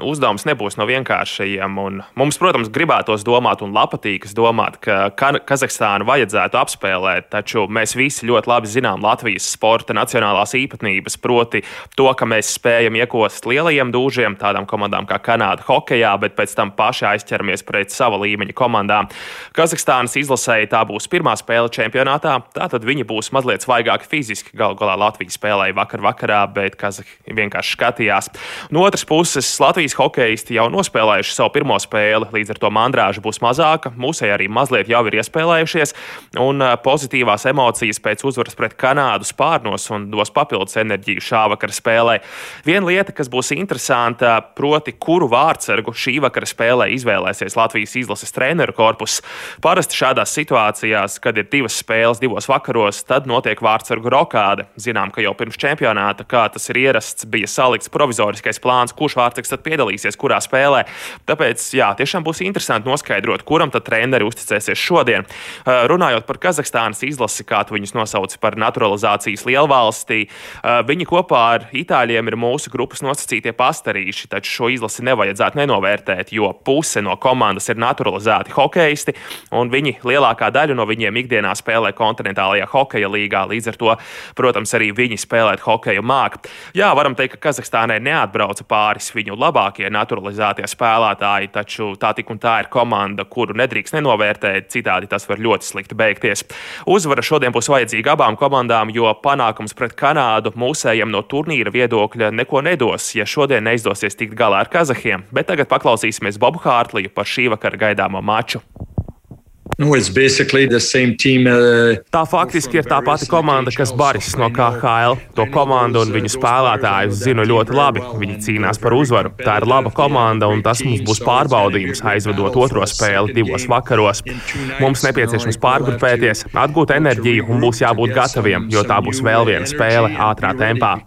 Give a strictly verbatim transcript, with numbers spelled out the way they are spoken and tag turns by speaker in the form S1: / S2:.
S1: uzdevums nebūs no vienkāršajiem. Un mums, protams, gribētos domāt un patīkas domāt, ka Kazahstānu vajadzētu apspēlēt, taču mēs visi ļoti labi zinām Latvijas sporta nacionālās īpatnības, proti to, ka mēs spējam iekost lielajiem dūžiem, tādām komandām kā Kanāda hokejā, bet pēc tam paši aizķeramies pret sava līmeņa komandām. Kazahstānas izlasēji tā būs pirmā spēle čempionātā, tātad viņi būs mazliet svaigāki fiziski. Galu galā Latvija spēlēja vakar vakarā, bet Kazahi vienkārši skatījās. No otras puses, Latvijas hokeisti jau nospēlējuši savu pirmo spēli, līdz ar to mandrāža būs mazāka. Mūsēji arī mazliet jau ir iespēlējušies, un pozitīvās emocijas pēc uzvaras pret Kanādu spārnos un dos papildus enerģiju šā vakara spēlē. Viena lieta, kas būs interesanta, proti, kuru vārtsargu šī vakara spēlē izvēlēsies Latvijas izlases treneru korpus. Parasti šādās situācijās, kad ir divas spēles divos vakaros, tad notiek vārtsargu rokāde. Zinām, ka jau pirms čempionāta, kā tas ir ierasts, bija salikts provizoriskais plāns, kurš vārtsargs tad piedalīsies, kurā spēlē. Tāpēc, jā, tiešām būs interesanti noskaidrot, kuram tad treneri uzticēsies šodien. Runājot par Kazahstānas izlasi, kā tu viņus nosauc par naturalizācijas lielvalstī, viņi kopā ar itāļiem ir mūsu grupas nosacītie pastarīši, taču šo izlasi nevajadzētu nenovērtēt, jo puse no komandas ir naturalizēti hokeisti, un viņi lielākā daļa no viņiem ikdienā spēlē kontinentālajā hokeja līgā, līdz ar to, protams, arī viņi spēlēt hokeju māk. Jā, varam teikt, ka Kazahstānai neatbrauca pāris viņu labākie naturalizētie spēlētāji, taču tā tik un tā ir komanda, kuru nedrīkst nenovērtēt, citādi tas var ļoti slikti beigties. Uzvara šodien būs vajadzīga abām komandām, jo panākums pret Kanādu mūsējiem no turnīra viedokļa neko nedos, ja šodien neizdosies tikt galā ar kazahiem, bet tagad paklausīsimies Bobu Hārtliju par šī vakara gaidāmo maču.
S2: No, team, uh,
S1: tā faktiski ir tā pati komanda, kas Baris no K H L. To komandu un viņu spēlētājus zinu ļoti labi. Viņi cīnās par uzvaru. Tā ir laba komanda, un tas mums būs pārbaudījums, aizvedot otro spēli divos vakaros. Mums nepieciešams pārgrupēties, atgūt enerģiju un būs jābūt gataviem, jo tā būs vēl viena spēle ātrā tempā.